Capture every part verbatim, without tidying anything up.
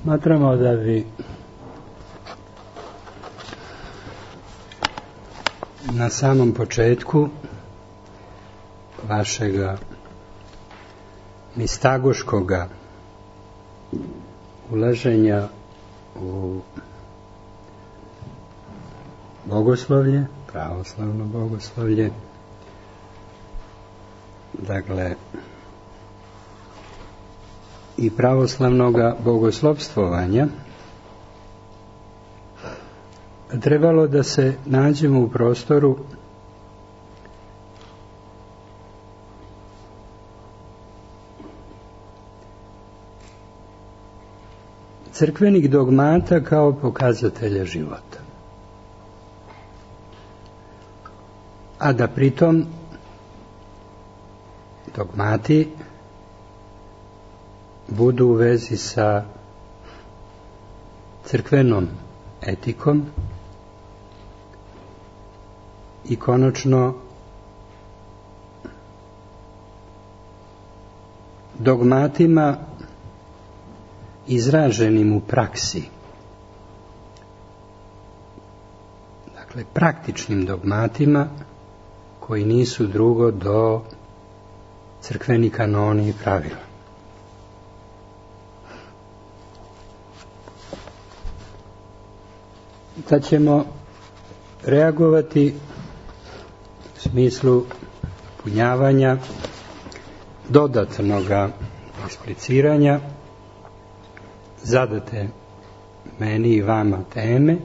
Smatramo da bi na samom početku vašega mistagoškoga ulaženja u bogoslovlje, pravoslavno bogoslovlje, dakle i pravoslavnoga bogoslovstvovanja, trebalo da se nađemo u prostoru crkvenih dogmata kao pokazatelja života. A da pritom dogmati budu u vezi sa crkvenom etikom i konačno dogmatima izraženim u praksi. Dakle, praktičnim dogmatima koji nisu drugo do crkveni kanoni i pravila. Tad ćemo reagovati u smislu punjavanja, dodatnog ekspliciranja zadate meni i vama teme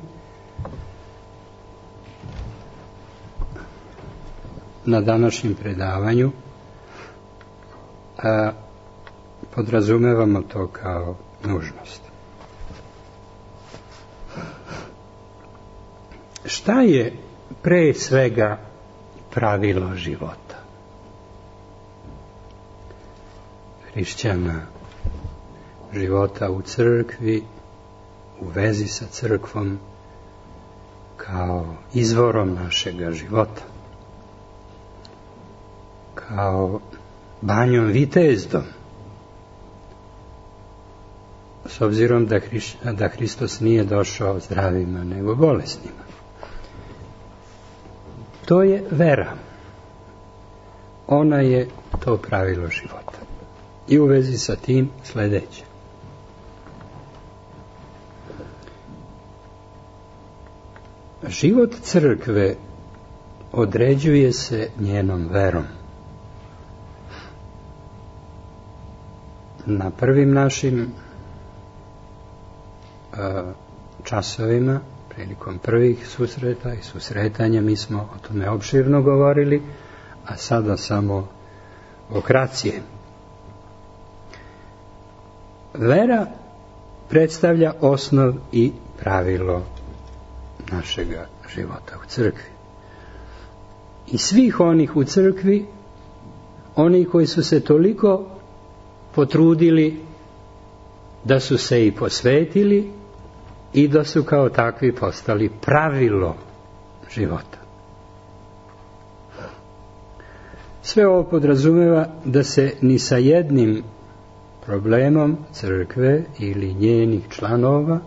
na današnjem predavanju. A podrazumevamo to kao nužnost. Šta je pre svega pravilo života hrišćana, života u crkvi, u vezi sa crkvom kao izvorom našega života, kao banjom vitezdom, s obzirom da, Hriš, da Hristos nije došao zdravima nego bolesnima. To je vera. Ona je to pravilo života. I u vezi sa tim sledeće. Život crkve određuje se njenom verom. Na prvim našim a, časovima, prilikom prvih susreta i susretanja, mi smo o tome opširno govorili, a sada samo okracije. Vera predstavlja osnov i pravilo našega života u crkvi. I svih onih u crkvi, oni koji su se toliko potrudili da su se i posvetili i da su kao takvi postali pravilo života. Sve ovo podrazumeva da se ni sa jednim problemom crkve ili njenih članova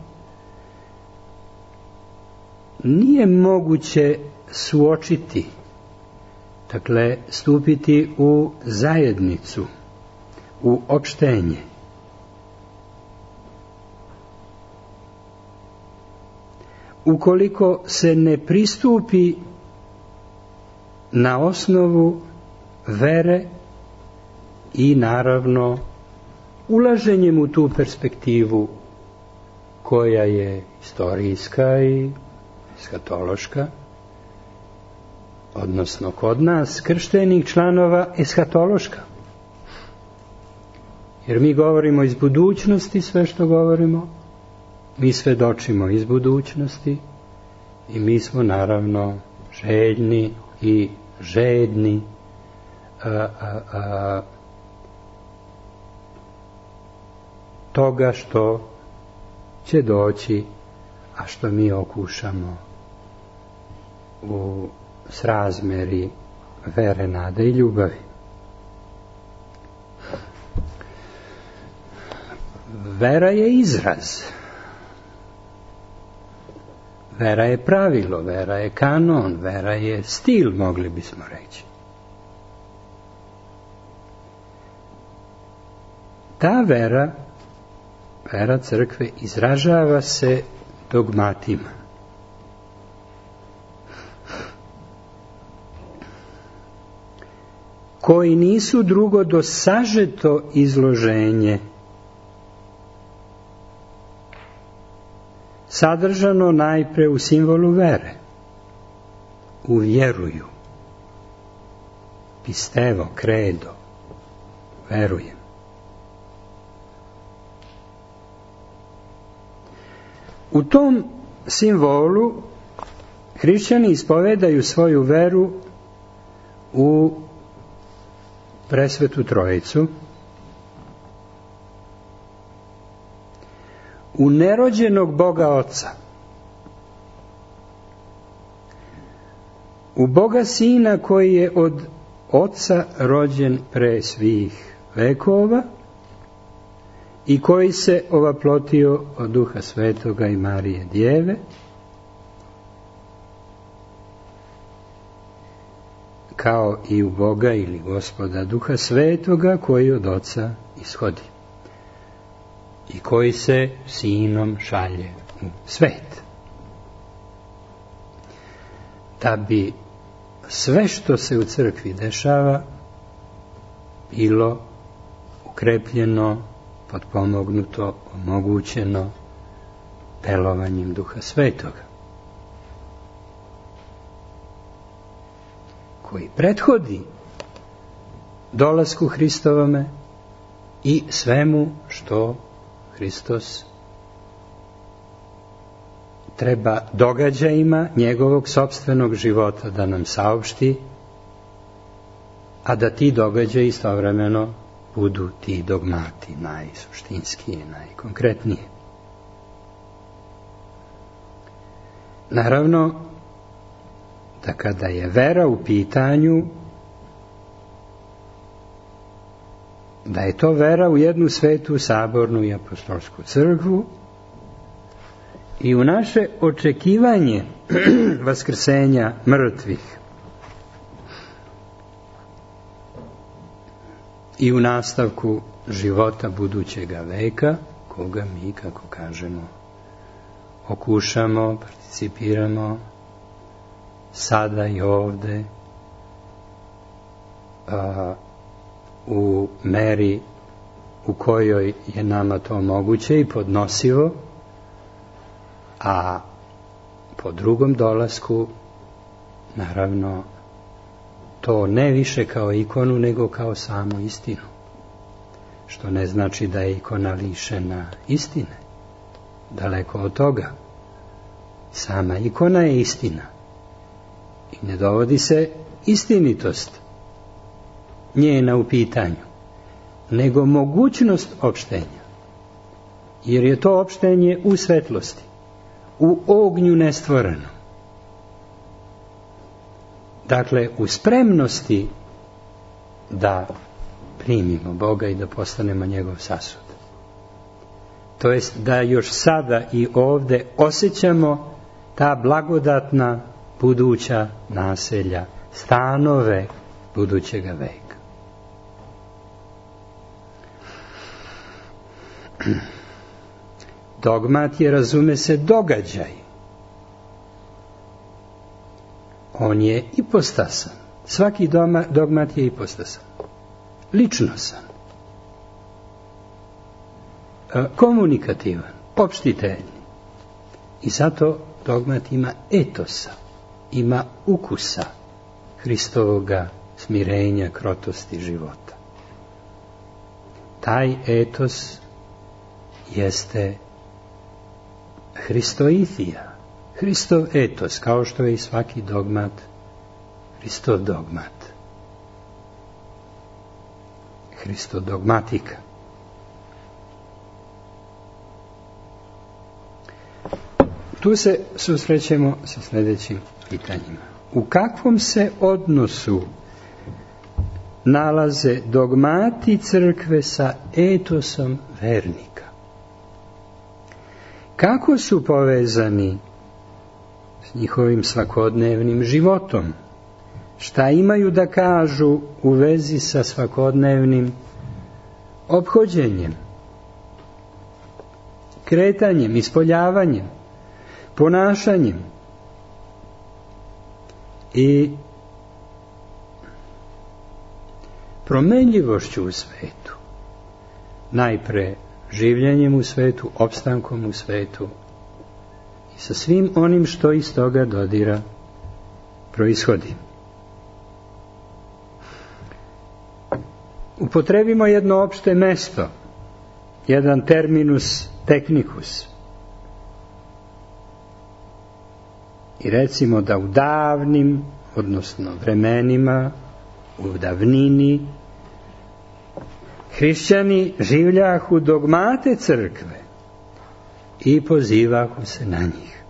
nije moguće suočiti, dakle stupiti u zajednicu, u opštenje. Ukoliko se ne pristupi na osnovu vere i naravno ulaženjem u tu perspektivu koja je istorijska i eskatološka, odnosno kod nas krštenih članova eskatološka. Jer mi govorimo iz budućnosti sve što govorimo, mi svedočimo iz budućnosti i mi smo naravno željni i žedni a, a, a, toga što će doći, a što mi okušamo u srazmeri vere, nade i ljubavi. vera je izraz. Vera je pravilo, vera je kanon, vera je stil, mogli bismo reći. Ta vera, vera crkve, izražava se dogmatima. Koji nisu drugo do sažeto izloženje sadržano najpre u simbolu vere, u vjeruju, pistevo, credo, verujem. U tom simbolu hrišćani ispovedaju svoju veru u Presvetu Trojicu, u nerođenog Boga Oca, u Boga Sina koji je od Oca rođen pre svih vekova i koji se ovaplotio od Duha Svetoga i Marije Djeve, kao i u Boga ili Gospoda Duha Svetoga koji od Oca ishodi i koji se Sinom šalje u svet. Da bi sve što se u crkvi dešava bilo ukrepljeno, potpomognuto, omogućeno delovanjem Duha Svetoga, koji prethodi dolasku Hristovome i svemu što Hristos treba događajima njegovog sopstvenog života da nam saopšti, a da ti događaji istovremeno budu ti dogmati najsuštinskije, najkonkretnije. Naravno, da kada je vera u pitanju, da je to vera u jednu svetu, sabornu i apostolsku crkvu i u naše očekivanje vaskrsenja mrtvih i u nastavku života budućega veka, koga mi, kako kažemo, okušamo, participiramo sada i ovde a, u meri u kojoj je nama to moguće i podnosivo, a po drugom dolasku naravno to ne više kao ikonu nego kao samu istinu, što ne znači da je ikona lišena istine, daleko od toga. Sama ikona je istina i ne dovodi se istinitost njena u pitanju, nego mogućnost opštenja, jer je to opštenje u svetlosti, u ognju nestvorenom. Dakle, u spremnosti da primimo Boga i da postanemo njegov sasud. To jest da još sada i ovde osjećamo ta blagodatna buduća naselja, stanove budućega veka. Dogmat je, razume se, događaj. On je ipostasan. Svaki dogmat je ipostasan. Ličnosan. Komunikativan. Opštiteljni. I zato dogmat ima etosa. Ima ukusa Hristovoga smirenja, krotosti života. Taj etos jeste Hristoithija, Hristov etos, kao što je i svaki dogmat Hristov dogmat, Hristov dogmatika. Tu se susrećemo sa sljedećim pitanjima. U kakvom se odnosu nalaze dogmati crkve sa etosom vernika? kako su povezani s njihovim svakodnevnim životom, šta imaju da kažu u vezi sa svakodnevnim ophođenjem, kretanjem, ispoljavanjem, ponašanjem i promenljivošću u svetu. Najpre življenjem u svetu, opstankom u svetu i sa svim onim što iz toga dodira proishodi. Upotrebimo jedno opšte mesto, jedan terminus technicus. I recimo da u davnim, odnosno vremenima, u davnini, hrišćani življahu dogmate crkve i pozivahu se na njih.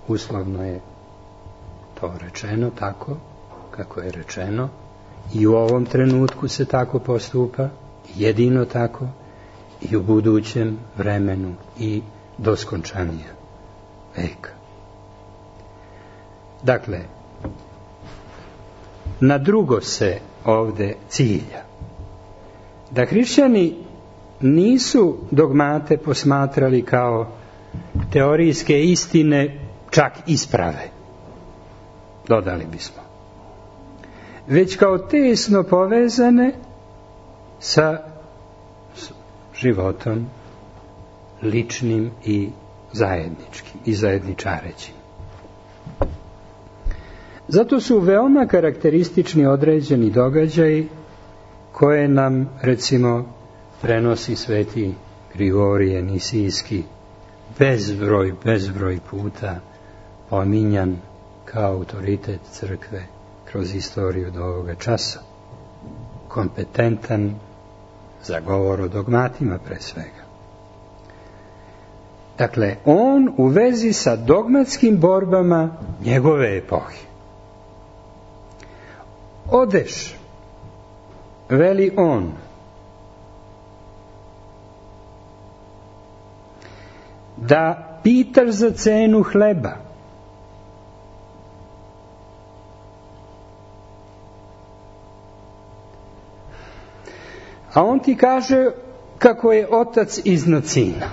Uslovno je to rečeno tako kako je rečeno i u ovom trenutku se tako postupa, jedino tako i u budućem vremenu i do skončanja veka. Dakle, na drugo se ovde cilja. Da hrišćani nisu dogmate posmatrali kao teorijske istine, čak isprave, dodali bismo, već kao tesno povezane sa životom ličnim i zajedničkim i zajedničarećim. Zato su veoma karakteristični određeni događaji koje nam, recimo, prenosi sveti Grigorije Nisijski, bezbroj, bezbroj puta pominjan kao autoritet crkve kroz istoriju do ovoga časa. Kompetentan za govor o dogmatima pre svega. Dakle, on u vezi sa dogmatskim borbama njegove epohe. Odeš, veli on, da pitaš za cenu hleba. A on ti kaže kako je otac iznad sina.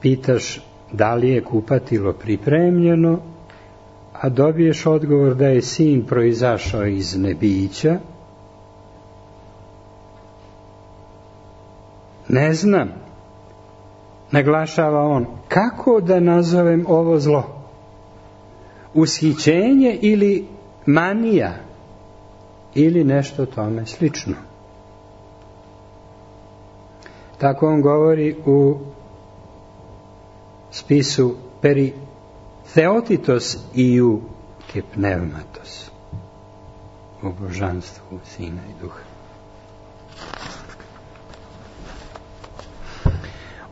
Pitaš da li je kupatilo pripremljeno, a dobiješ odgovor da je sin proizašao iz nebića. Ne znam, naglašava on, kako da nazovem ovo zlo? Ushićenje ili manija ili nešto tome slično. Tako on govori u spisu Peri Theotitos iu ke pneumatos, u božanstvu Sina i Duha.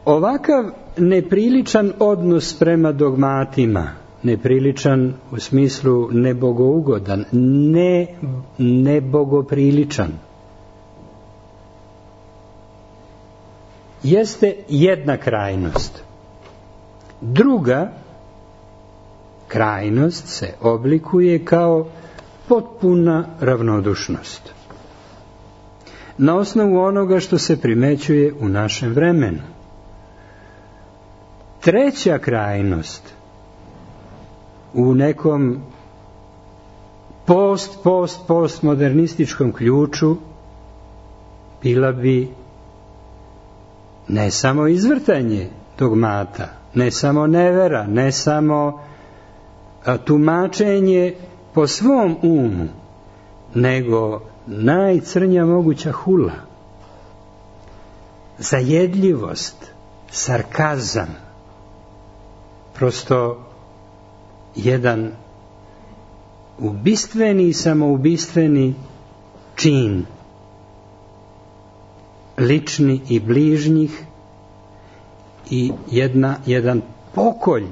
Ovakav nepriličan odnos prema dogmatima, nepriličan u smislu nebogougodan, ne nebogopriličan, jeste jedna krajnost. Druga krajnost se oblikuje kao potpuna ravnodušnost. Na osnovu onoga što se primećuje u našem vremenu. Treća krajnost u nekom post, post, postmodernističkom ključu bila bi ne samo izvrtanje dogmata, ne samo nevera, ne samo tumačenje po svom umu, nego najcrnja moguća hula, zajedljivost, sarkazam, prosto jedan ubistveni i samoubistveni čin lični i bližnjih i jedna, jedan pokolj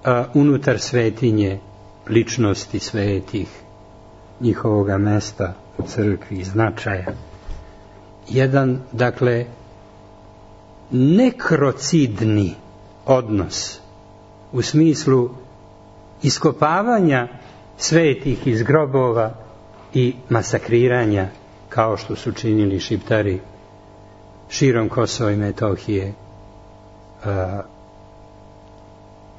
a, unutar svetinje ličnosti svetih, njihovoga mesta u crkvi i značaja jedan, dakle, nekrocidni odnos u smislu iskopavanja svetih iz grobova i masakriranja, kao što su činili Šiptari širom Kosova i Metohije,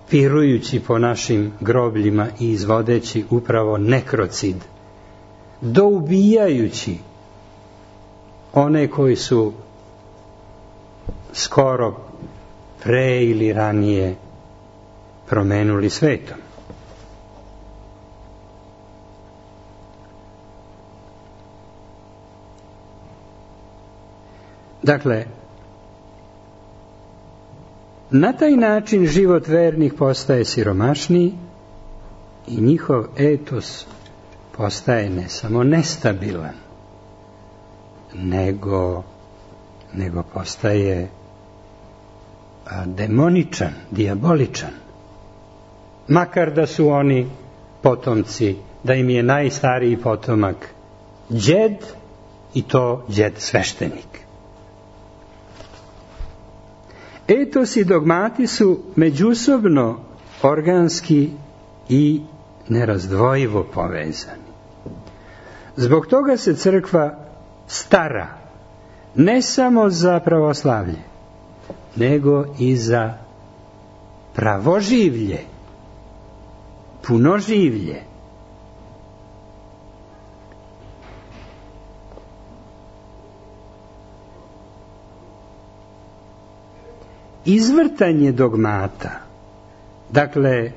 pirujući po našim grobljima i izvodeći upravo nekrocid, doubijajući one koji su skoro pre ili ranije promenuli svetom. Dakle, na taj način život vernih postaje siromašniji i njihov etos postaje ne samo nestabilan, nego, nego postaje a, demoničan, dijaboličan. Makar da su oni potomci, da im je najstariji potomak đed, i to đed sveštenik. Etos i dogmati su međusobno organski i nerazdvojivo povezani. Zbog toga se crkva stara ne samo za pravoslavlje, nego i za pravoživlje, punoživlje. Izvrtanje dogmata, dakle,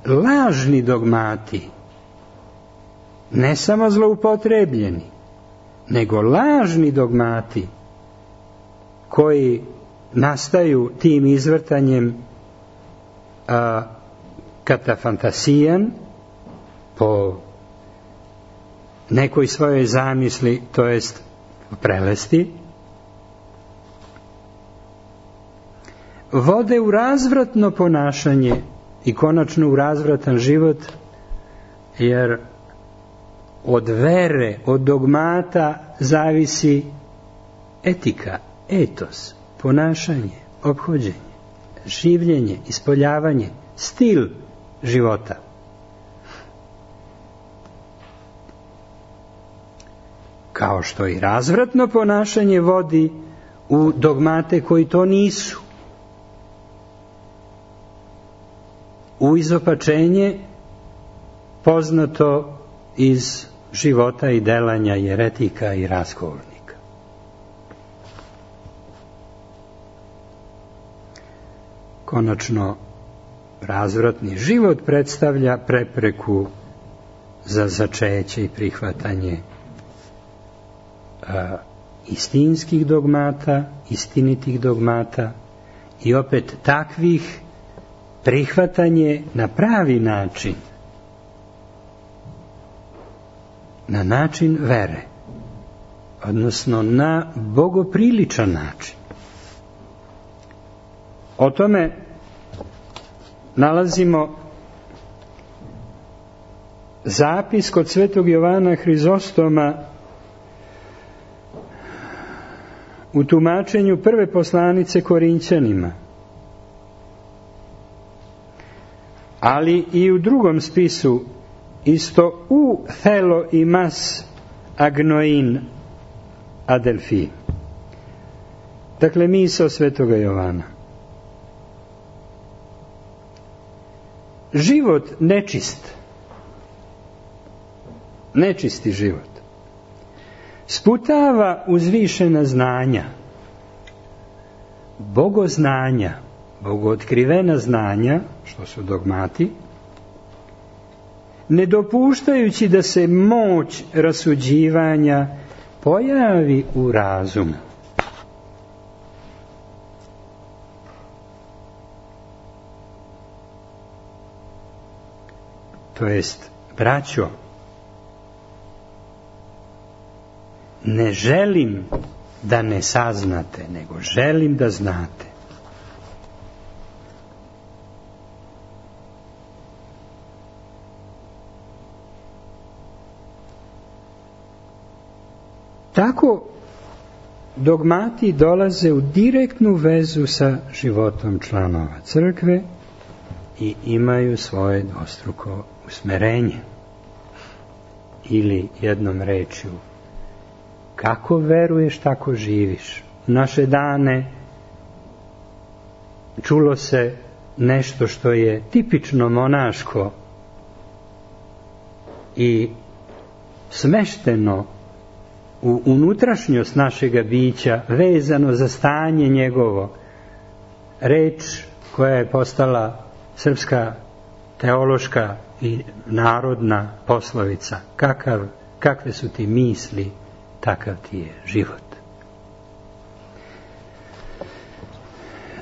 lažni dogmati, ne samo zloupotrebljeni, nego lažni dogmati koji nastaju tim izvrtanjem a, katafantasijan, po nekoj svojoj zamisli, to jest prelesti, vode u razvratno ponašanje i konačno u razvratan život, jer od vere, od dogmata zavisi etika, etos, ponašanje, ophođenje, življenje, ispoljavanje, stil života. Kao što i razvratno ponašanje vodi u dogmate koji to nisu. U izopačenje poznato iz života i delanja jeretika i raskolnika. Konačno, razvratni život predstavlja prepreku za začeće i prihvatanje a, istinskih dogmata, istinitih dogmata i opet takvih prihvatanje na pravi način, na način vere, odnosno na bogopriličan način. O tome nalazimo zapis kod svetog Jovana Hrizostoma u tumačenju prve poslanice Korinćanima, ali i u drugom spisu, isto u thelo imas agnoin adelfi. Dakle, misao svetoga Jovana. Život nečist, nečisti život, sputava uzvišena znanja, bogoznanja, bogootkrivena znanja, što su dogmati, ne dopuštajući da se moć rasuđivanja pojavi u razumu. To jest, braćo, ne želim da ne saznate, nego želim da znate. Tako dogmati dolaze u direktnu vezu sa životom članova crkve i imaju svoje dvostruko usmerenje. Ili jednom rečju, kako veruješ, tako živiš. U naše dane čulo se nešto što je tipično monaško i smešteno u unutrašnjost našega bića, vezano za stanje njegovo. Reč koja je postala srpska teološka i narodna poslovica. Kakav, kakve su ti misli, takav ti je život.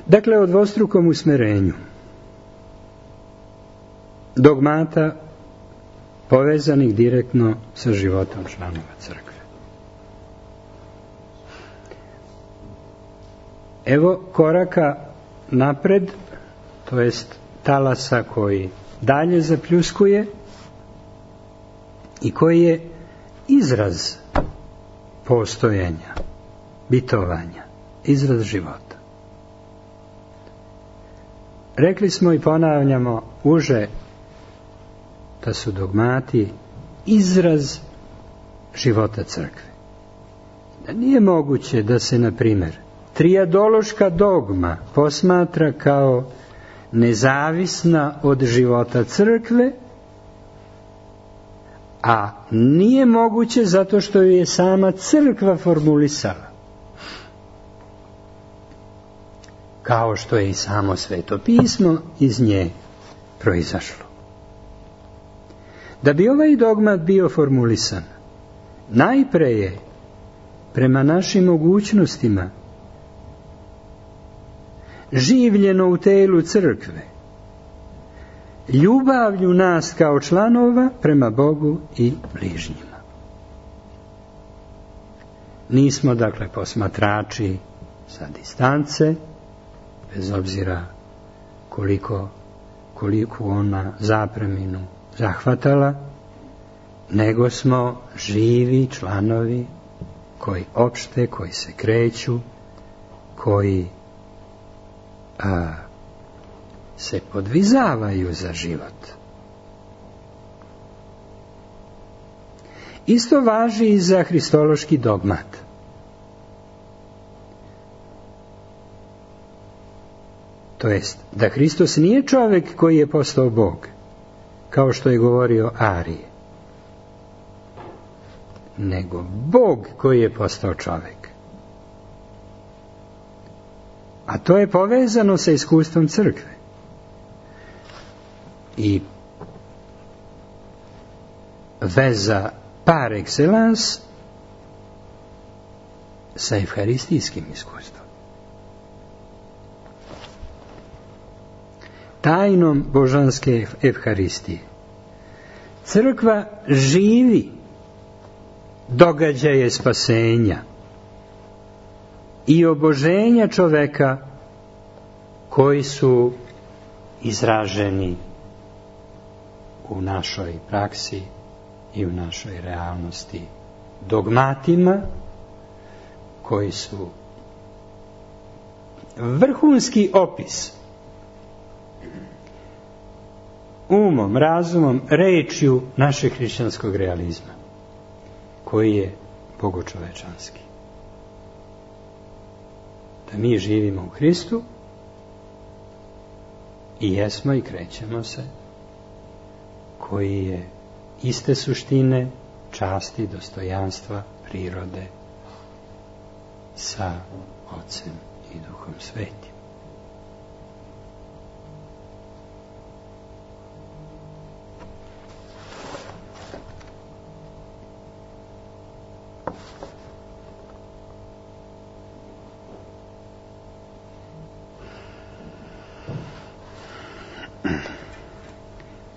Dakle, o dvostrukom usmerenju dogmata povezanih direktno sa životom članova crkve. Evo koraka napred, to jest talasa koji dalje zapljuskuje i koji je izraz postojanja, bitovanja, izraz života. Rekli smo i ponavljamo uže da su dogmati izraz života crkve. Da nije moguće da se, na primjer, trijadološka dogma posmatra kao nezavisna od života crkve, a nije moguće zato što ju je sama crkva formulisala. Kao što je i samo Sveto pismo iz nje proizašlo. Da bi ovaj dogmat bio formulisan, najpre je prema našim mogućnostima življeno u telu crkve, ljubavlju nas kao članova prema Bogu i bližnjima. Nismo, dakle, posmatrači sa distance, bez obzira koliko, koliko ona zapreminu zahvatala, nego smo živi članovi koji opšte, koji se kreću, koji a, se podvizavaju za život. Isto važi i za hristološki dogmat. To jest, da Hristos nije čovjek koji je postao Bog, kao što je govorio Arije, nego Bog koji je postao čovjek. A to je povezano sa iskustvom crkve. I veza par excellence sa evharistijskim iskustvom. Tajnom božanske evharistije. Crkva živi događaje spasenja i oboženja čoveka koji su izraženi u našoj praksi i u našoj realnosti dogmatima koji su vrhunski opis umom, razumom, rečju našeg hrišćanskog realizma, koji je bogočovečanski. Da mi živimo u Hristu i jesmo i krećemo se, koji je iste suštine, časti, dostojanstva, prirode sa Ocem i Duhom Svetim.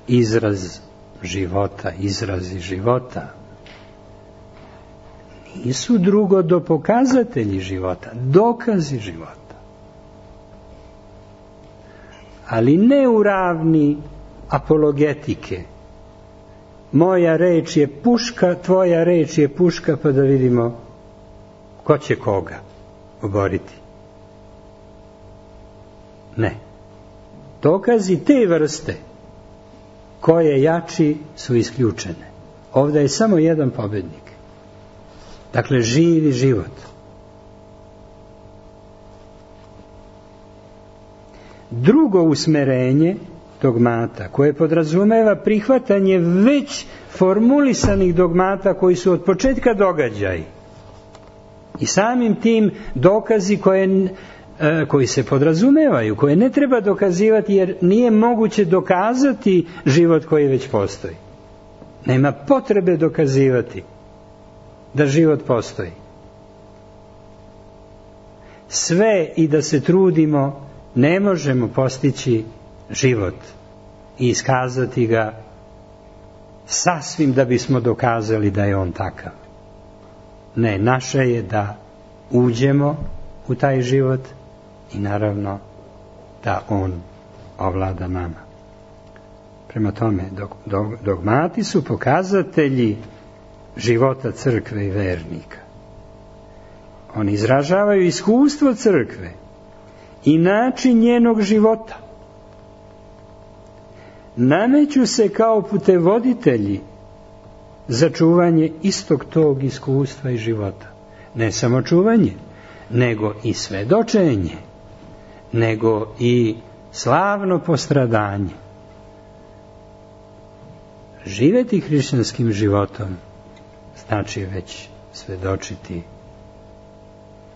Izraz života, izrazi života nisu drugo do pokazatelji života, dokazi života. Ali ne u ravni apologetike. Moja reč je puška, tvoja reč je puška, pa da vidimo ko će koga oboriti. Ne. Dokazi te vrste koje jači su isključene. Ovdje je samo jedan pobednik. Dakle, živi život. Drugo usmerenje dogmata, koje podrazumeva prihvatanje već formulisanih dogmata koji su od početka događaji i samim tim dokazi koje, koji se podrazumevaju, koje ne treba dokazivati jer nije moguće dokazati život koji već postoji. Nema potrebe dokazivati da život postoji. Sve i da se trudimo, ne možemo postići život i iskazati ga sasvim da bismo dokazali da je on takav. Ne, naše je da uđemo u taj život i naravno da on ovlada nama. Prema tome, dogmati su pokazatelji života crkve i vernika. Oni izražavaju iskustvo crkve i način njenog života. Nameću se kao putevoditelji za čuvanje istog tog iskustva i života. Ne samo čuvanje, nego i svedočenje, nego i slavno postradanje. Živjeti hrišćanskim životom znači već svedočiti,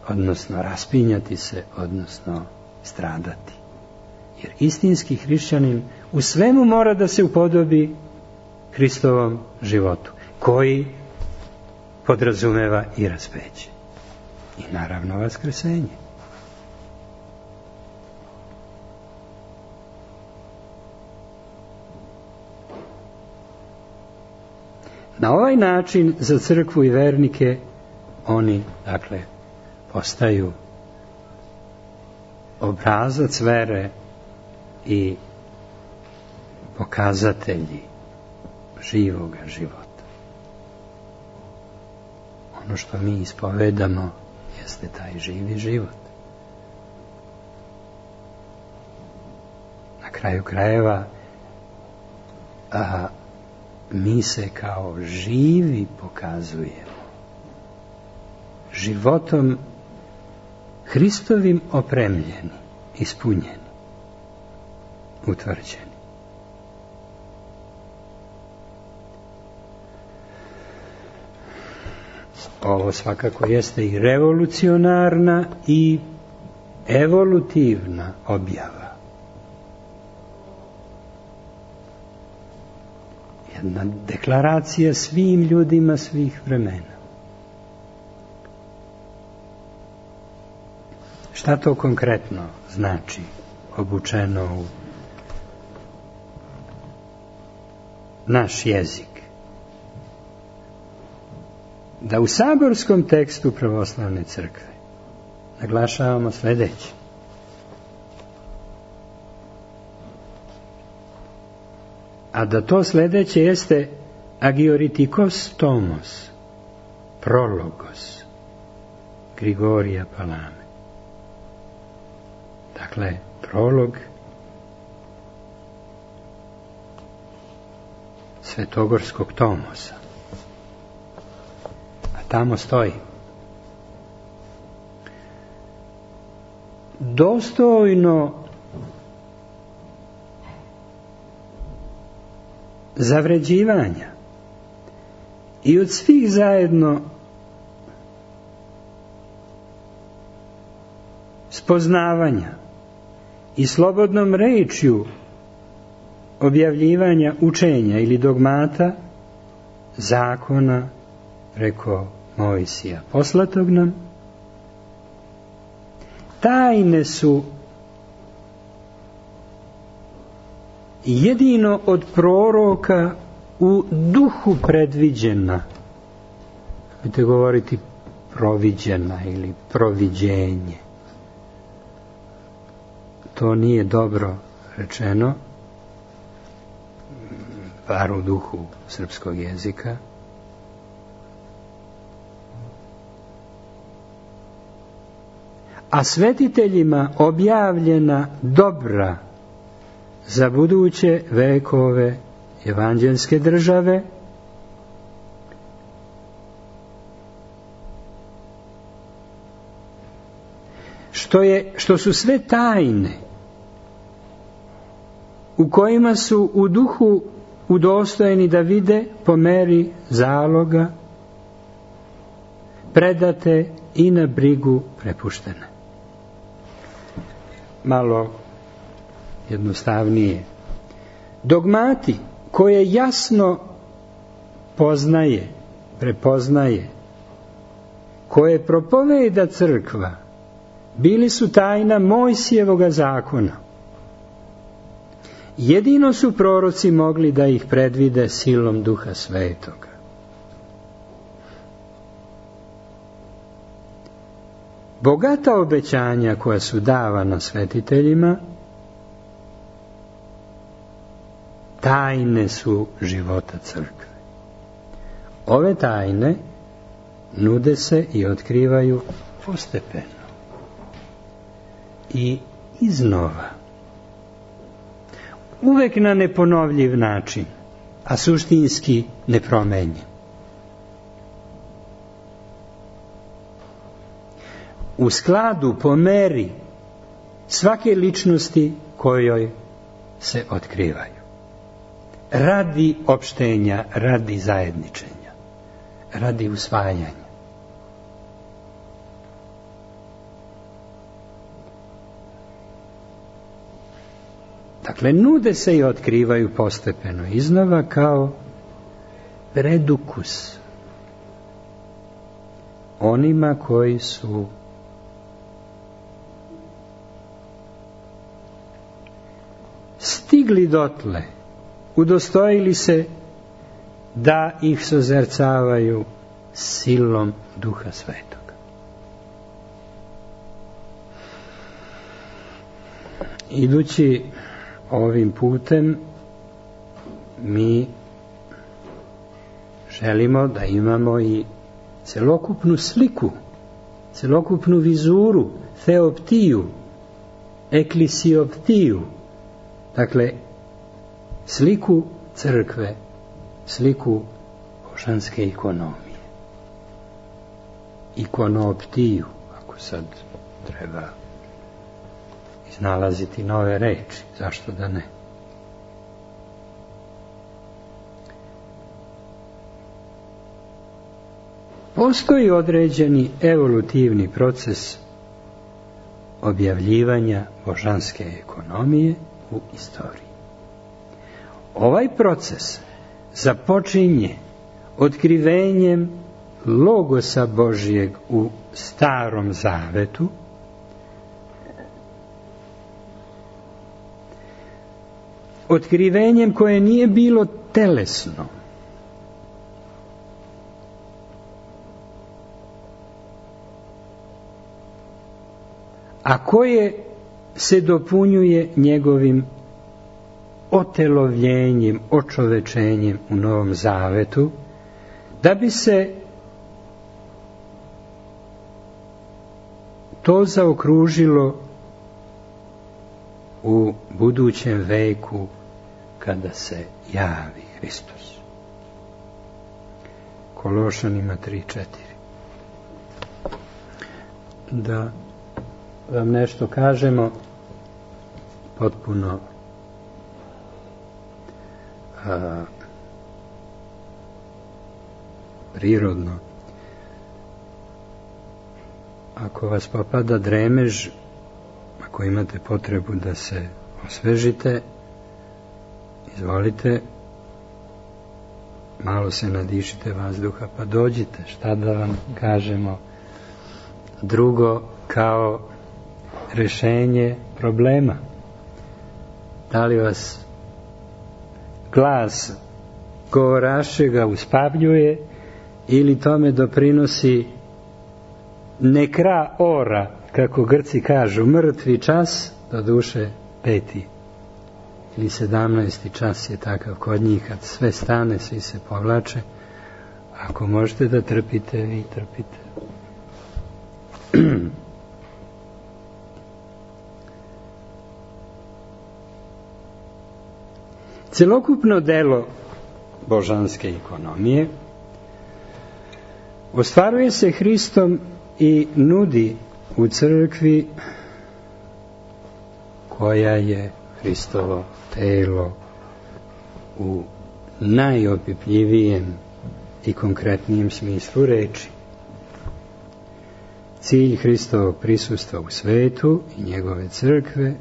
odnosno raspinjati se, odnosno stradati. Jer istinski hrišćanin u svemu mora da se upodobi Hristovom životu, koji podrazumeva i raspeće. I naravno vaskrsenje. Na ovaj način za crkvu i vernike oni, dakle, postaju obrazac vere i pokazatelji živoga života. Ono što mi ispovedamo jeste taj živi život. Na kraju krajeva a, mi se kao živi pokazujemo životom Hristovim opremljeni, ispunjeni, utvrđeni. Ovo svakako jeste i revolucionarna i evolutivna objava. Jedna deklaracija svim ljudima svih vremena. Šta to konkretno znači obučeno u naš jezik? Da u saborskom tekstu pravoslavne crkve naglašavamo sljedeće. A da to sljedeće jeste agioritikos tomos, prologos, Grigorija Palame. Dakle, prolog Svetogorskog tomosa. A tamo stoji: dostojno zavređivanja i od svih zajedno spoznavanja i slobodnom rečju objavljivanja učenja ili dogmata, zakona preko Mojsija poslatog nam, tajne su jedino od proroka u duhu predviđena. Možete govoriti proviđena ili proviđenje. To nije dobro rečeno, bar u duhu srpskog jezika. a svetiteljima objavljena dobra za buduće vekove evanđelske države, što je, što su sve tajne u kojima su u duhu udostojeni da vide po meri zaloga, predate i na brigu prepuštene. Malo jednostavnije. Dogmati koje jasno poznaje, prepoznaje, koje propoveda crkva, bili su tajna Mojsijevoga zakona. Jedino su proroci mogli da ih predvide silom Duha Svetoga. Bogata obećanja koja su davana svetiteljima tajne su života crkve. Ove tajne nude se i otkrivaju postepeno i iznova. Uvek na neponovljiv način, a suštinski nepromenjen. U skladu, po meri svake ličnosti kojoj se otkrivaju. Radi opštenja, radi zajedničenja, radi usvajanja. Dakle, nude se i otkrivaju postepeno iznova kao predukus onima koji su stigli dotle, udostojili se da ih sozercavaju silom Duha Svetoga. Idući ovim putem, mi želimo da imamo i celokupnu sliku, celokupnu vizuru, theoptiju, eklisioptiju, dakle, sliku crkve, sliku božanske ikonomije. Ikonooptiju, ako sad treba iznalaziti nove reči, zašto da ne? Postoji određeni evolutivni proces objavljivanja božanske ekonomije u istoriji. Ovaj proces započinje otkrivenjem logosa Božjeg u Starom Zavetu, otkrivenjem koje nije bilo telesno, a koje se dopunjuje njegovim otelovljenjem, očovečenjem u Novom Zavetu, da bi se to zaokružilo u budućem veku kada se javi Hristos. Kološanima tri četiri. Da vam nešto kažemo potpuno a, prirodno. Ako vas popada dremež, ako imate potrebu da se osvežite, izvolite, malo se nadišite vazduha, pa dođite, šta da vam kažemo drugo kao rešenje problema. Da li vas glas govorašega uspavljuje ili tome doprinosi nekra ora, kako Grci kažu, mrtvi čas, do duše peti ili sedamnaesti čas je takav kod njih, kad sve stane, svi se povlače. Ako možete da trpite, vi trpite. Celokupno delo božanske ekonomije ostvaruje se Hristom i nudi u crkvi koja je Hristovo telo u najopipljivijem i konkretnijem smislu reči. Cilj Hristovog prisustva u svetu i njegove crkve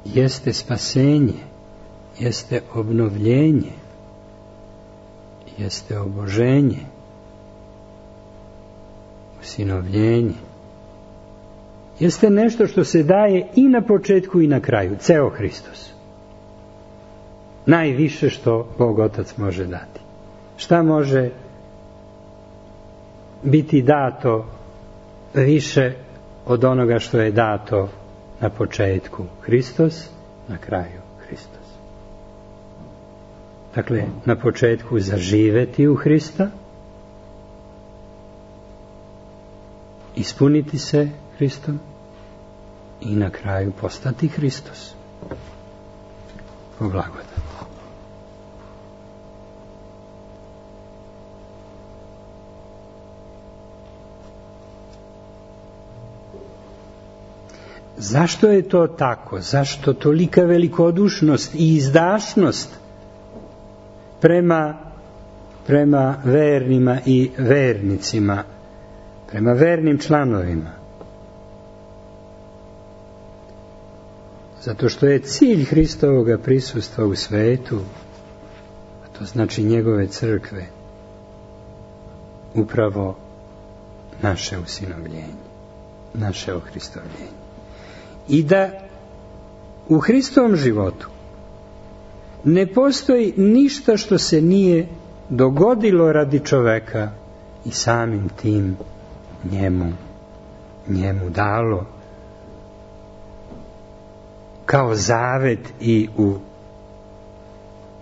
jeste spasenje, jeste obnovljenje, jeste oboženje, usinovljenje. Jeste nešto što se daje i na početku i na kraju, ceo Hristos. Najviše što Bog Otac može dati. Šta može biti dato više od onoga što je dato na početku? Hristos, na kraju Hristos. Dakle, na početku zaživeti u Hrista, ispuniti se Hristom i na kraju postati Hristos. O blagodat. Zašto je to tako? Zašto tolika velikodušnost i izdašnost prema, prema vernima i vernicima, prema vernim članovima? Zato što je cilj Hristovoga prisustva u svetu, a to znači njegove crkve, upravo naše usinovljenje, naše ohristovljenje. I da u Hristovom životu ne postoji ništa što se nije dogodilo radi čoveka i samim tim njemu, njemu dalo kao zavet i u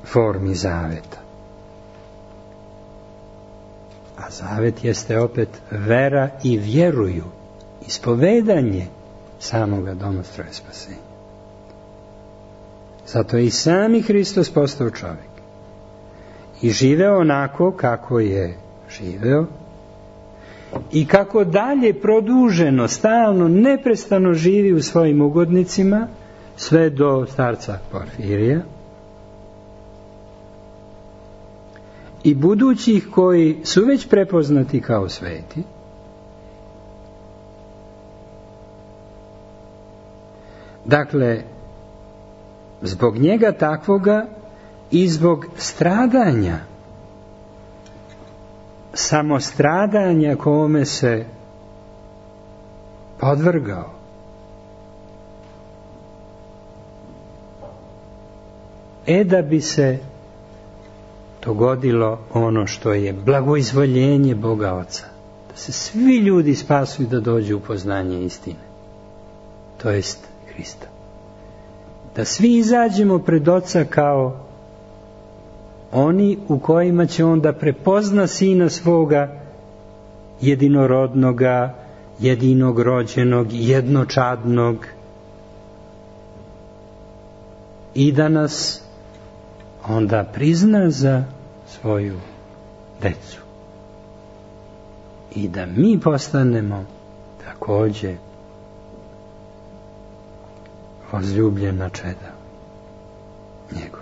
formi zaveta. A zavet jeste opet vera i vjeruju, ispovedanje samoga domostroja spasenja. Zato je i sami Hristos postao čovjek i živeo onako kako je živeo i kako dalje produženo, stalno, neprestano živi u svojim ugodnicima sve do starca Porfirija i budućih koji su već prepoznati kao sveti. Dakle, zbog njega takvoga i zbog stradanja, samostradanja kome se podvrgao, e da bi se dogodilo ono što je blagoizvoljenje Boga Oca, da se svi ljudi spasuju, da dođu u poznanje istine, to jest Hrista. Da svi izađemo pred Oca kao oni u kojima će on da prepozna Sina svoga jedinorodnoga, jedinog rođenog, jednočadnog i da nas onda prizna za svoju decu i da mi postanemo također возлюбljena čeda njegova.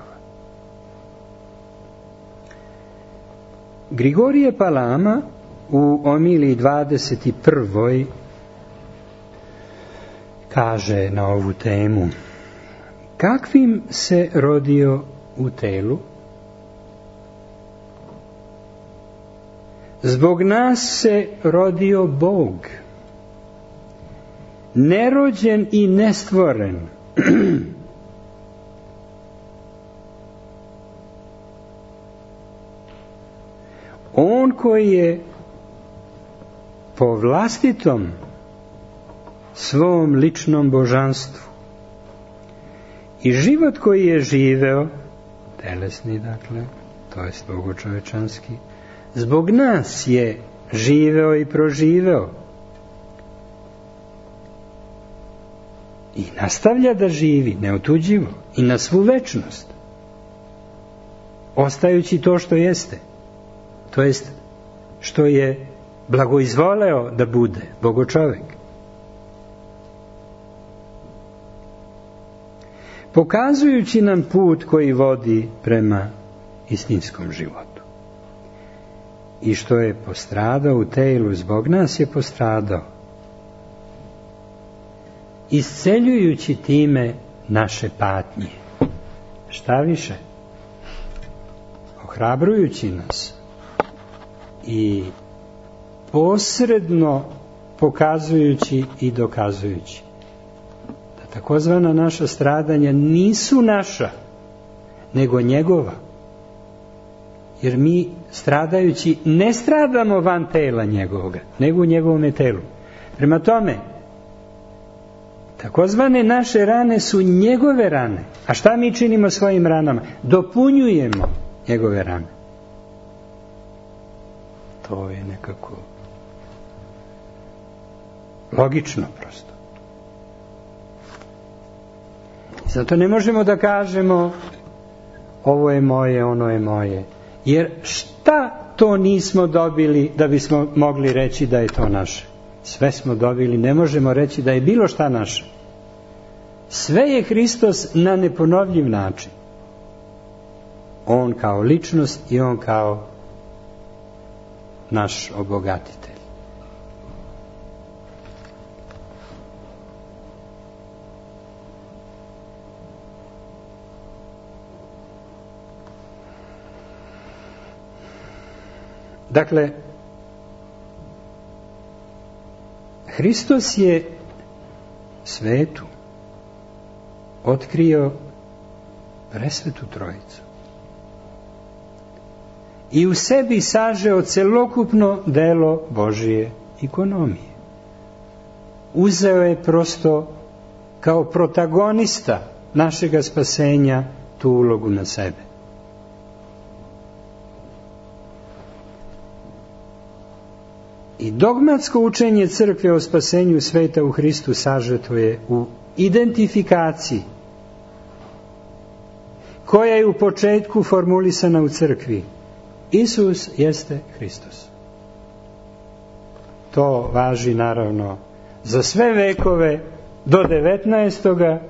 Grigorije Palama u omiliji dvadeset prvoj kaže na ovu temu: kakvim se rodio u telu? Zbog nas se rodio Bog, nerođen i nestvoren. On koji je po vlastitom svom ličnom božanstvu i život koji je živeo, telesni dakle, to jest bogočovečanski, zbog nas je živeo i proživeo i nastavlja da živi neotuđivo i na svu večnost. ostajući to što jeste, to jest što je blagoizvoleo da bude bogočovek. Pokazujući nam put koji vodi prema istinskom životu. I što je postradao u telu, zbog nas je postradao, isceljujući time naše patnje. Šta više? Ohrabrujući nas i posredno pokazujući i dokazujući da takozvana naša stradanja nisu naša, nego njegova. Jer mi stradajući ne stradamo van tela njegovoga, nego u njegovome telu. Prema tome, takozvane naše rane su njegove rane. A šta mi činimo svojim ranama? Dopunjujemo njegove rane. To je nekako logično prosto. I zato ne možemo da kažemo ovo je moje, ono je moje. Jer šta to nismo dobili da bismo mogli reći da je to naše? Sve smo dobili, ne možemo reći da je bilo šta naše. Sve je Hristos na neponovljiv način. On kao ličnost i on kao naš obogatitelj. Dakle, Hristos je svetu otkrio presvetu trojicu i u sebi sažeo celokupno delo Božije ikonomije. Uzeo je prosto kao protagonista našega spasenja tu ulogu na sebe. I dogmatsko učenje crkve o spasenju sveta u Hristu sažeto je u identifikaciji koja je u početku formulisana u crkvi. Isus jeste Hristos. To važi naravno za sve vekove do devetnaestoga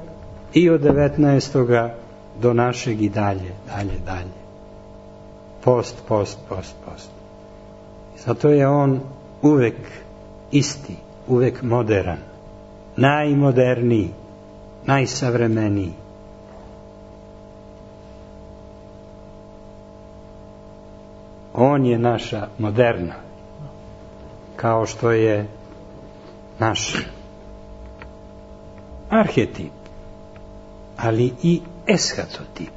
i od devetnaestoga do našeg i dalje, dalje, dalje. Post, post, post, post. Zato je on uvek isti, uvek modern, najmoderniji, najsavremeniji. On je naša moderna, kao što je naš arhetip, ali i eshatotip.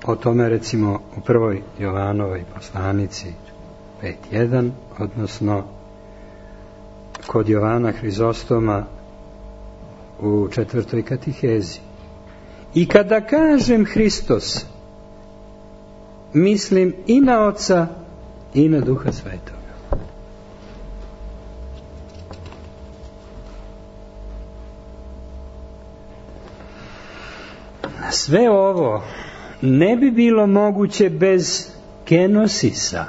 O tome recimo u prvoj Jovanovoj poslanici pet jedan, odnosno kod Jovana Hrizostoma u četvrtoj katihezi. I kada kažem Hristos, mislim i na Oca i na Duha Svetoga. Sve ovo ne bi bilo moguće bez kenosisa,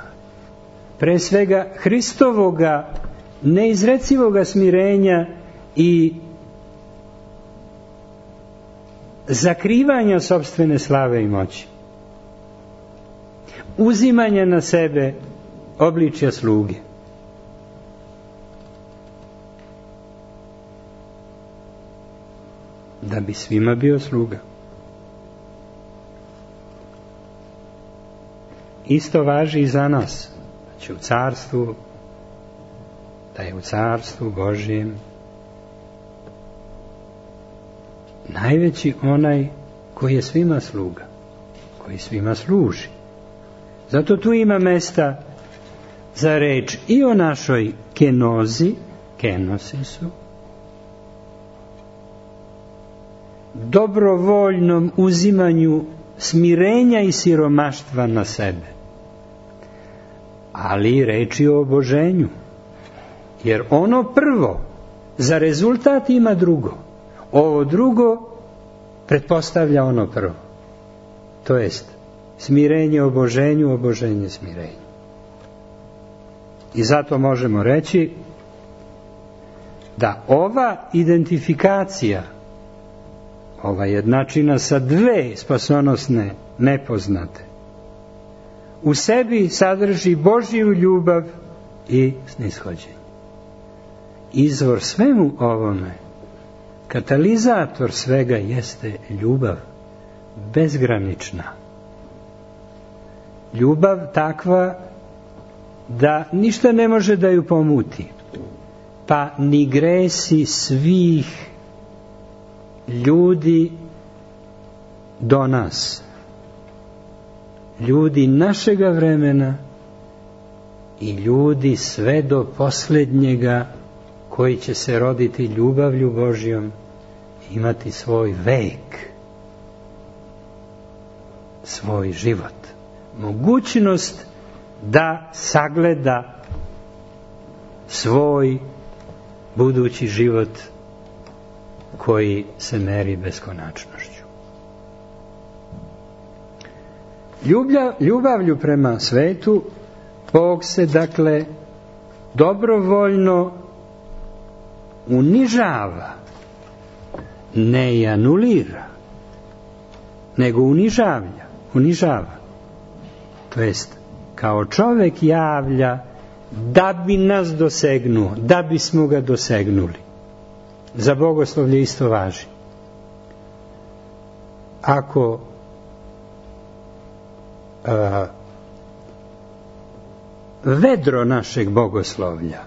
pre svega Hristovoga neizrecivoga smirenja i zakrivanja sopstvene slave i moći, uzimanja na sebe obličja sluge. Da bi svima bio sluga. Isto važi i za nas. Znači u carstvu, da je u carstvu Božijem najveći onaj koji je svima sluga, koji svima služi. Zato tu ima mesta za reč i o našoj kenozi, kenosisu, dobrovoljnom uzimanju smirenja i siromaštva na sebe, ali reči o oboženju, jer ono prvo za rezultat ima drugo. Ovo drugo pretpostavlja ono prvo. To jest, smirenje oboženju, oboženje smirenju. I zato možemo reći da ova identifikacija, ova jednačina sa dve spasonosne nepoznate, u sebi sadrži Božju ljubav i snishođenje. Izvor svemu ovome, katalizator svega jeste ljubav, bezgranična. Ljubav takva da ništa ne može da ju pomuti, pa ni gresi svih ljudi do nas, ljudi našega vremena i ljudi sve do posljednjega koji će se roditi ljubavlju Božjom, imati svoj vek, svoj život, mogućnost da sagleda svoj budući život koji se meri beskonačnošću. Ljublja, ljubavlju prema svetu Bog se dakle dobrovoljno unižava, ne i anulira, nego unižavlja, unižava. To jest, kao čovek javlja da bi nas dosegnuo, da bismo ga dosegnuli. Za bogoslovlje isto važi. Ako a, vedro našeg bogoslovlja,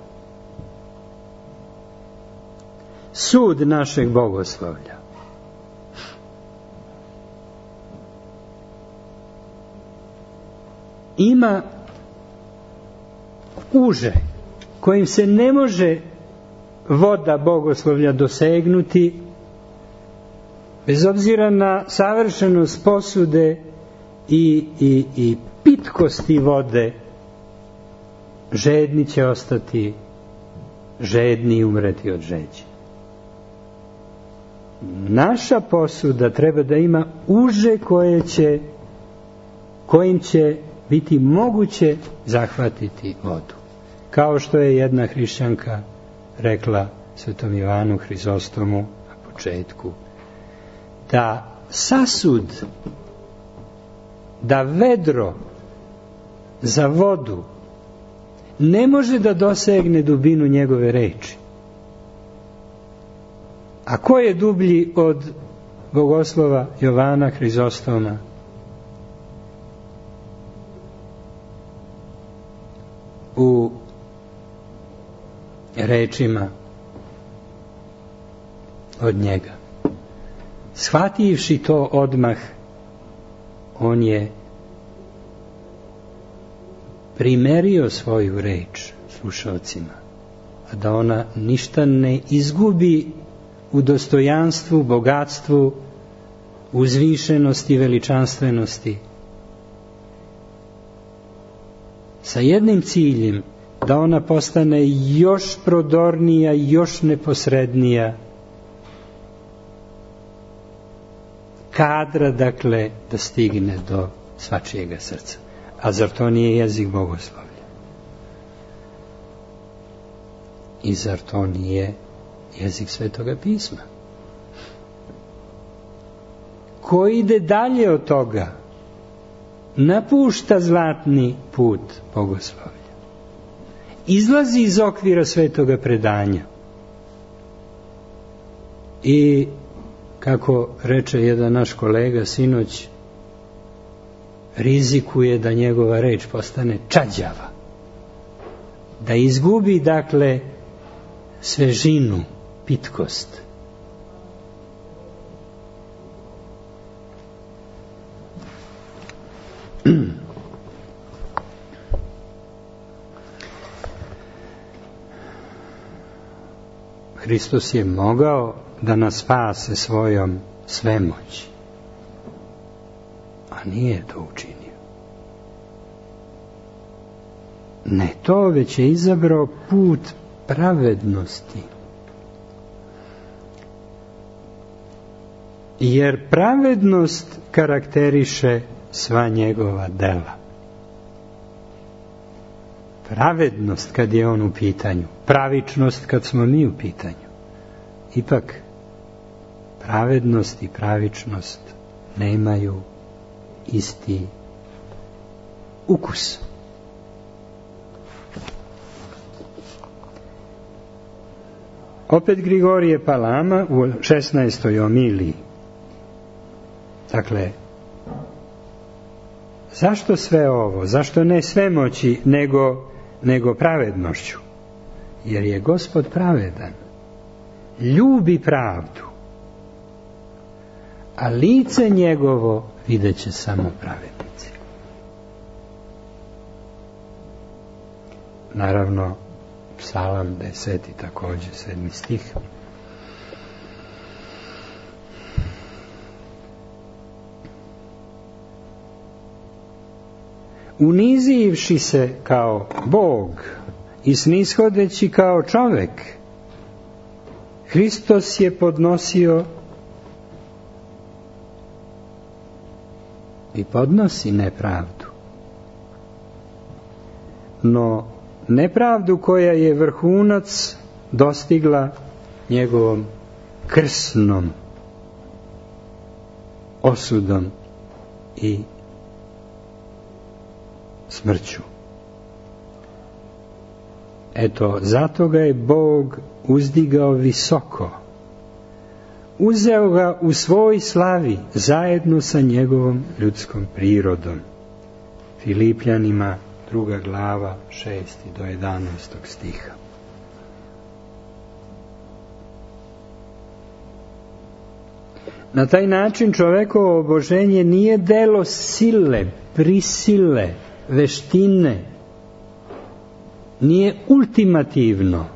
sud našeg bogoslovlja, ima uže kojim se ne može voda bogoslovlja dosegnuti, bez obzira na savršenost posude i, i, i pitkosti vode, žedni će ostati žedni i umreti od žeđi. Naša posuda treba da ima uže koje će, kojim će biti moguće zahvatiti vodu. Kao što je jedna hrišćanka rekla Svetom Ivanu Hrizostomu na početku, da sasud, da vedro za vodu ne može da dosegne dubinu njegove reči. A ko je dublji od bogoslova Jovana Hrizostoma? U rečima od njega. Shvativši to odmah, on je primerio svoju reč slušalcima, a da ona ništa ne izgubi u dostojanstvu, bogatstvu, uzvišenosti, veličanstvenosti, sa jednim ciljem, da ona postane još prodornija, još neposrednija, kadra, dakle, da stigne do svačijega srca. A zar to nije jezik bogoslovlja? I zar to nije jezik Svetoga pisma? Ko ide dalje od toga, napušta zlatni put bogoslovlja. Izlazi iz okvira Svetoga predanja. I, kako reče jedan naš kolega sinoć, rizikuje da njegova reč postane čađava. Da izgubi, dakle, svežinu, pitkost. Hristos je mogao da nas spase svojom svemoći, a nije to učinio. Ne to, već je izabrao put pravednosti. jer pravednost karakteriše sva njegova dela. Pravednost kad je on u pitanju, pravičnost kad smo mi u pitanju. Ipak, pravednost i pravičnost nemaju isti ukus. Opet Grigorije Palama u šesnaestoj omiliji. Dakle, zašto sve ovo? Zašto ne svemoći, nego, nego pravednošću? Jer je Gospod pravedan. Ljubi pravdu. A lice njegovo vidjet će samo pravednici. Naravno, Psalam deseti također, sedmi stih. Unizivši se kao Bog i snishodeći kao čovjek, Hristos je podnosio i podnosi nepravdu. No, nepravdu koja je vrhunac dostigla njegovom krsnom osudom i smrću. Eto, zato ga je Bog uzdigao visoko. Uzeo ga u svoj slavi zajedno sa njegovom ljudskom prirodom. Filipljanima druga glava, šesti do jedanaestog stiha. Na taj način čovekovo oboženje nije delo sile, prisile, veštine, nije ultimativno.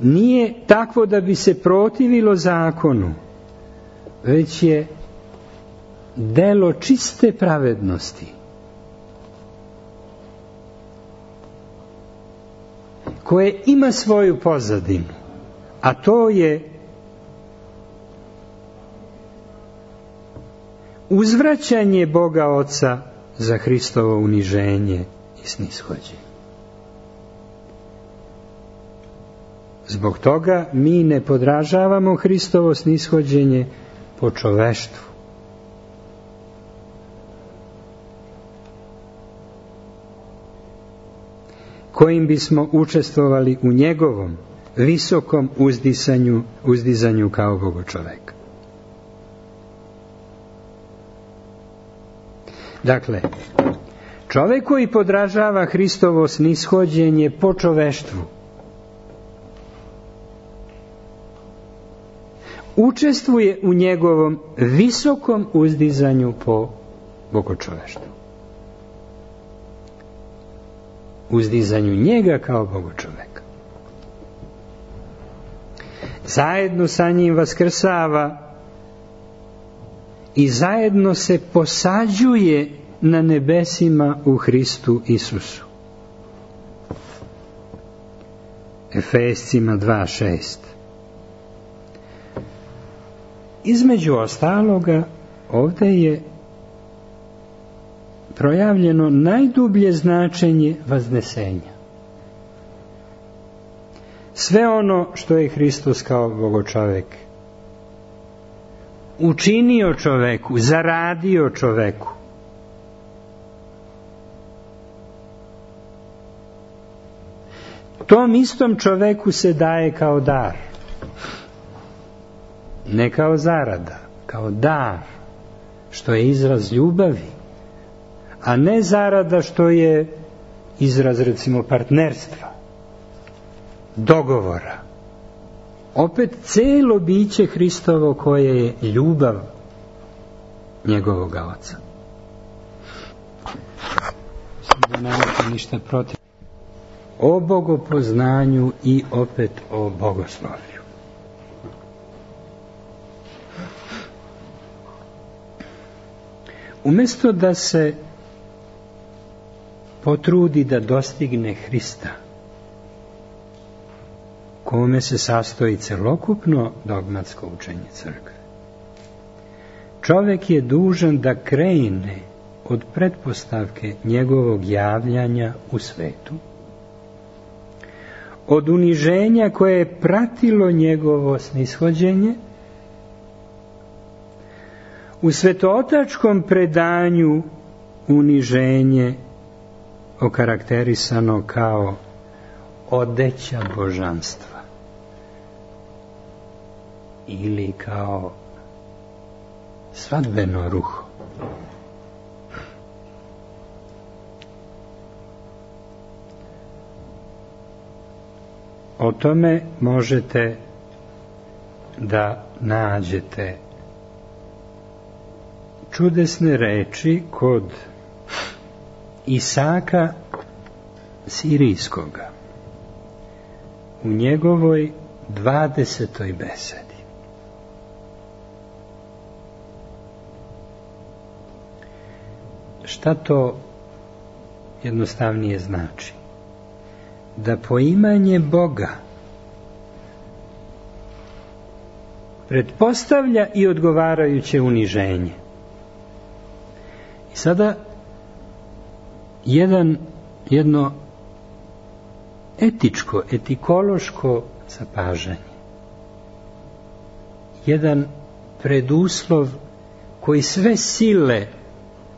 Nije takvo da bi se protivilo zakonu, već je delo čiste pravednosti, koje ima svoju pozadinu, a to je uzvraćanje Boga Oca za Hristovo uniženje i snishođenje. Zbog toga mi ne podražavamo Hristovo snishođenje po čoveštvu. Kojim bismo učestvovali u njegovom visokom uzdizanju, uzdizanju kao Bogočoveka. Dakle, čovjek koji podražava Hristovo snishođenje po čoveštvu učestvuje u njegovom visokom uzdizanju po bogočoveštvu. Uzdizanju njega kao bogočoveka. Zajedno sa njim vaskrsava i zajedno se posađuje na nebesima u Hristu Isusu. Efescima dva šest. Između ostaloga, ovdje je projavljeno najdublje značenje vaznesenja. Sve ono što je Hristos kao bogočovek učinio čoveku, zaradio čoveku, tom istom čoveku se daje kao dar. Ne kao zarada, kao dar, što je izraz ljubavi, a ne zarada što je izraz, recimo, partnerstva, dogovora. Opet cijelo biće Hristovo koje je ljubav njegovoga Oca. Da nemate ništa protiv. O bogopoznanju i opet o bogoslovlju. Umjesto da se potrudi da dostigne Hrista, kome se sastoji celokupno dogmatsko učenje crkve. Čovek je dužan da krene od pretpostavke njegovog javljanja u svetu, od uniženja koje je pratilo njegovo snishođenje, u svetootačkom predanju uniženje okarakterisano kao odeća božanstva ili kao svadbeno ruho. O tome možete da nađete čudesne reči kod Isaka Sirijskoga u njegovoj dvadesetoj besedi. Šta to jednostavnije znači? Da poimanje Boga pretpostavlja i odgovarajuće uniženje. I sada jedan, jedno etičko, etikološko zapažanje. Jedan preduslov koji sve sile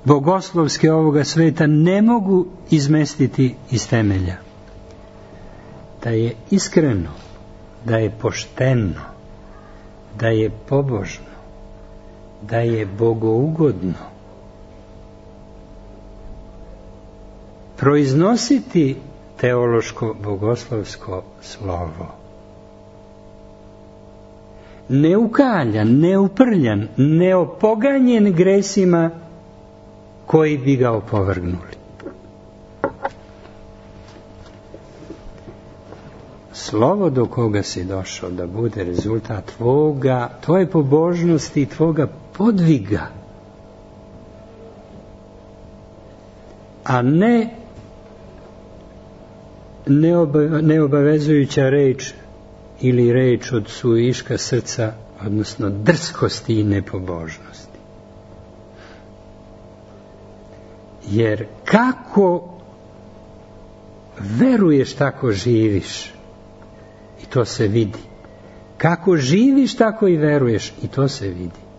bogoslovske ovoga sveta ne mogu izmestiti iz temelja. Da je iskreno, da je pošteno, da je pobožno, da je bogougodno proiznositi teološko bogoslovsko slovo. Neukaljan, neuprljan, neopoganjen gresima koji bi ga opovrgnuli. Slovo do koga si došao da bude rezultat tvoga, tvoje pobožnosti i tvoga podviga, a ne neobavezujuća reč ili reč od suviška srca, odnosno drskosti i nepobožnosti. Jer kako veruješ, tako živiš, i to se vidi. Kako živiš, tako i veruješ, i to se vidi.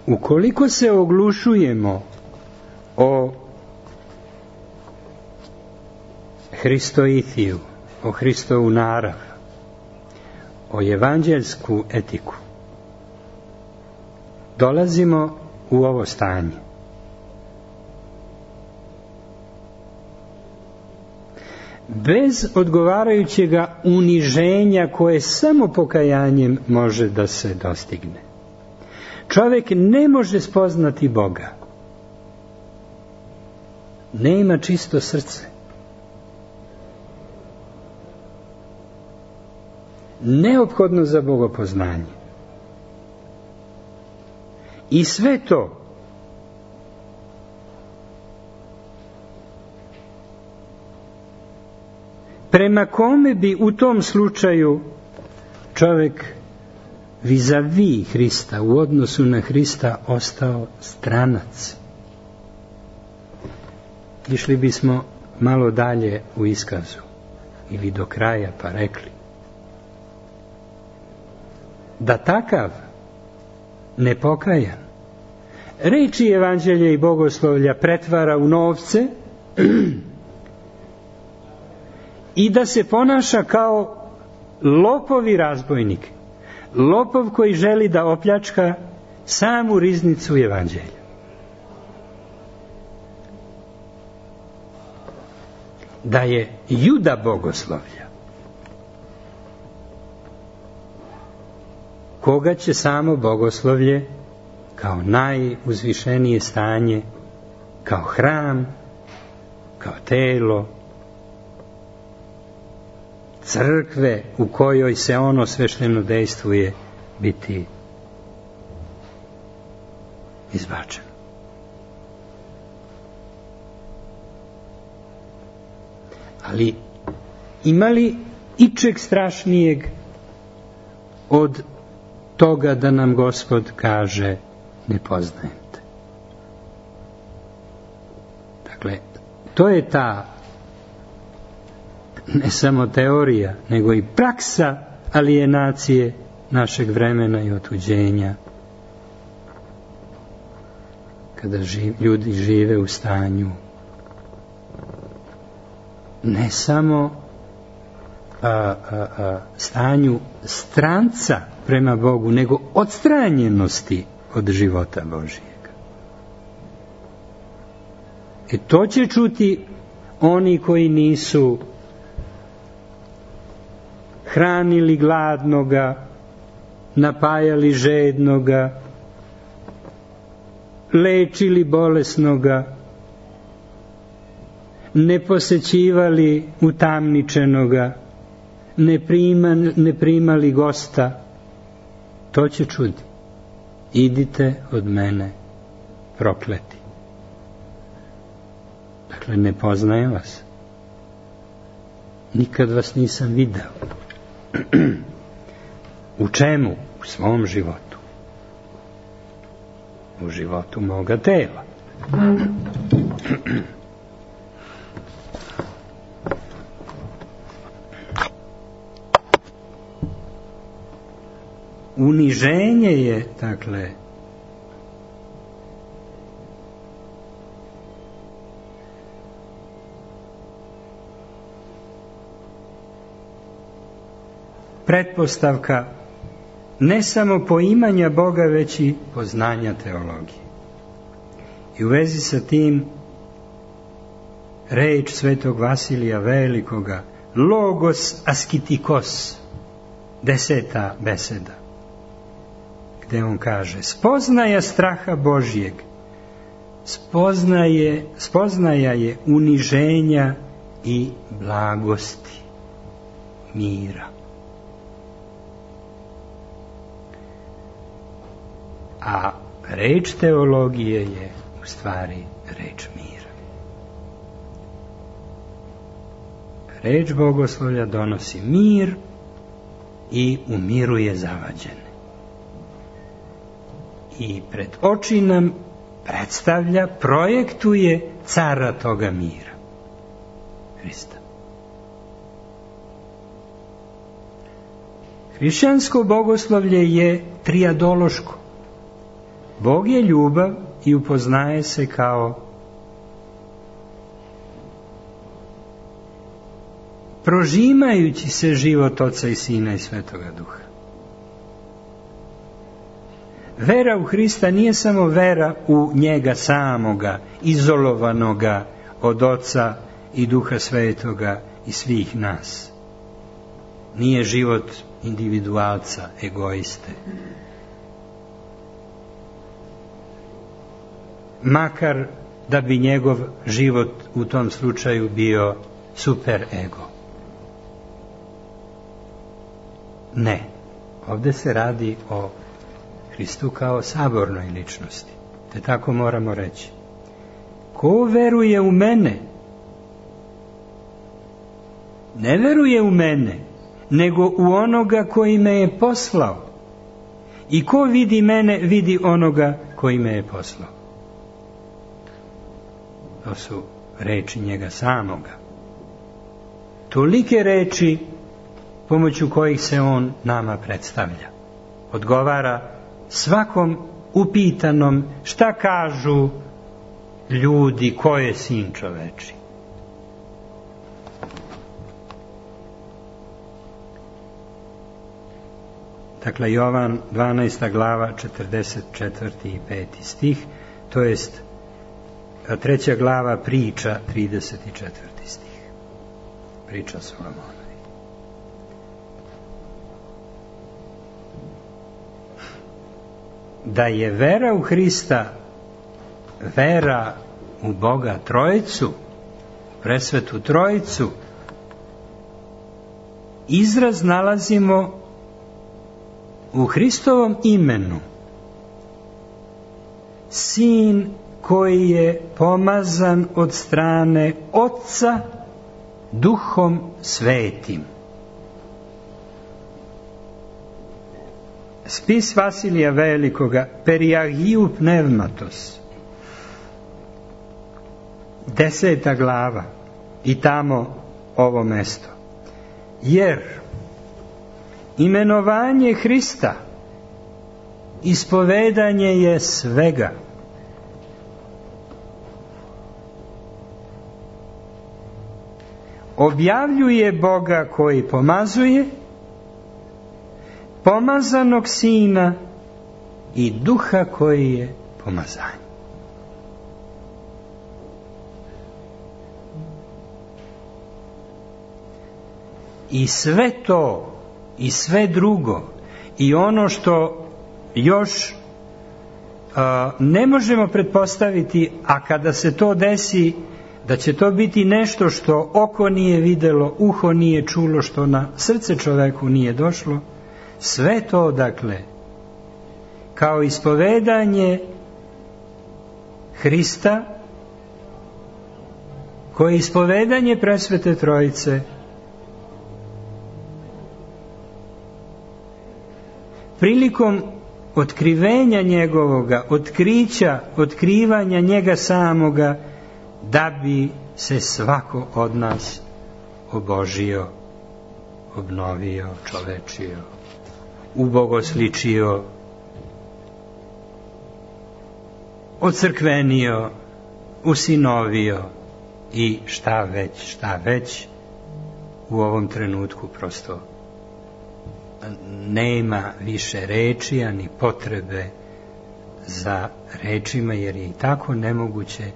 Ukoliko se oglušujemo o Hristoithiju, o Hristovu narav, o evanđeljsku etiku, dolazimo u ovo stanje. Bez odgovarajućeg uniženja koje samo pokajanjem može da se dostigne. Čovjek ne može spoznati Boga. Nema čisto srce. Neophodno za bogopoznanje. I sve to prema kome bi u tom slučaju čovjek vis-a-vis Hrista, u odnosu na Hrista, ostao stranac. Išli bismo malo dalje u iskazu, ili do kraja, pa rekli da takav nepokajan reči evanđelja i bogoslovlja pretvara u novce i da se ponaša kao lopov i razbojnik. Lopov koji želi da opljačka samu riznicu evanđelja. Da je juda bogoslovlja, koga će samo bogoslovlje kao najuzvišenije stanje, kao hram, kao telo crkve u kojoj se ono svešteno dejstvuje biti izbačeno. Ali ima li ičeg strašnijeg od toga da nam Gospod kaže ne poznajem te? Dakle, to je ta ne samo teorija, nego i praksa alijenacije našeg vremena i otuđenja, kada živ, ljudi žive u stanju ne samo a, a, a, stanju stranca prema Bogu, nego odstranjenosti od života Božijega. I to će čuti oni koji nisu hranili gladnoga, napajali žednoga, lečili bolesnoga, ne posećivali utamničenoga, ne, prima, ne primali gosta. To će čuti. Idite od mene, prokleti. Dakle, ne poznajem vas. Nikad vas nisam video. U čemu? U svom životu. U životu moga tela. Uniženje je, dakle, pretpostavka ne samo poimanja Boga, već i poznanja teologije. I u vezi sa tim reč svetog Vasilija Velikoga, logos askitikos, deseta beseda, gde on kaže: spoznaja straha Božjeg, spoznaje, spoznaja je uniženja i blagosti, mira. A reč teologije je u stvari reč mira. Reč bogoslovlja donosi mir i umiruje zavađene. I pred oči nam predstavlja, projektuje cara toga mira, Hrista. Hrišćansko bogoslovlje je trijadološko. Bog je ljubav i upoznaje se kao prožimajući se život Oca i Sina i Svetoga Duha. Vera u Hrista nije samo vera u njega samoga, izolovanoga od Oca i Duha Svetoga i svih nas. Nije život individualca, egoiste. Makar da bi njegov život u tom slučaju bio super ego. Ne. Ovdje se radi o Hristu kao sabornoj ličnosti. Te tako moramo reći. Ko veruje u mene, ne veruje u mene, nego u onoga koji me je poslao. I ko vidi mene, vidi onoga koji me je poslao. To su reči njega samoga. Tolike reči pomoću kojih se on nama predstavlja. Odgovara svakom upitanom šta kažu ljudi, ko je sin čoveči. Dakle, Jovan dvanaesta glava, četrdeset četvrti i peti stih, to jest treća glava priča, trideset četvrti stih. Priča Solomonovi. da je vera u Hrista vera u Boga Trojicu, presvetu Trojicu, izraz nalazimo u Hristovom imenu. Sin koji je pomazan od strane Otca Duhom Svetim. Spis Vasilija Velikoga, Periagiju Pneumatos, deseta glava, i tamo ovo mesto. Jer imenovanje Hrista ispovedanje je svega. Objavljuje Boga koji pomazuje, pomazanog Sina i Duha koji je pomazanje. I sve to, i sve drugo, i ono što još a, ne možemo pretpostaviti, a kada se to desi, da će to biti nešto što oko nije videlo, uho nije čulo, što na srce čoveku nije došlo, sve to, dakle, kao ispovedanje Hrista, koje je ispovedanje presvete Trojice, prilikom otkrivenja njegovoga, otkrića, otkrivanja njega samoga, da bi se svako od nas obožio, obnovio, čovečio, ubogosličio, ocrkvenio, usinovio i šta već, šta već u ovom trenutku prosto nema više reči, ani potrebe za rečima, jer je i tako nemoguće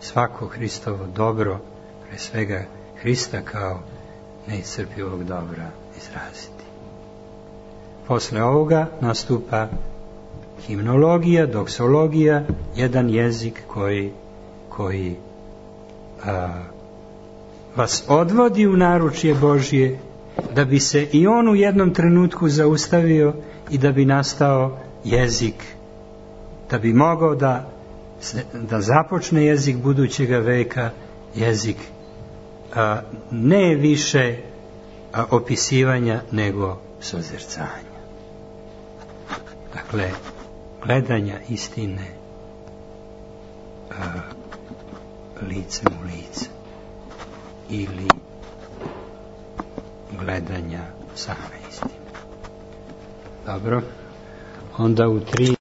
svako Hristovo dobro, pre svega Hrista kao neiscrpivog dobra, izraziti. Posle ovoga nastupa himnologija, doksologija, jedan jezik koji, koji a, vas odvodi u naručje Božje, da bi se i on u jednom trenutku zaustavio i da bi nastao jezik, da bi mogao da, da započne jezik budućega veka, jezik a, ne više a, opisivanja, nego sozercanja. Dakle, gledanja istine a, licem u lice ili gledanja same istine. Dobro, onda u tri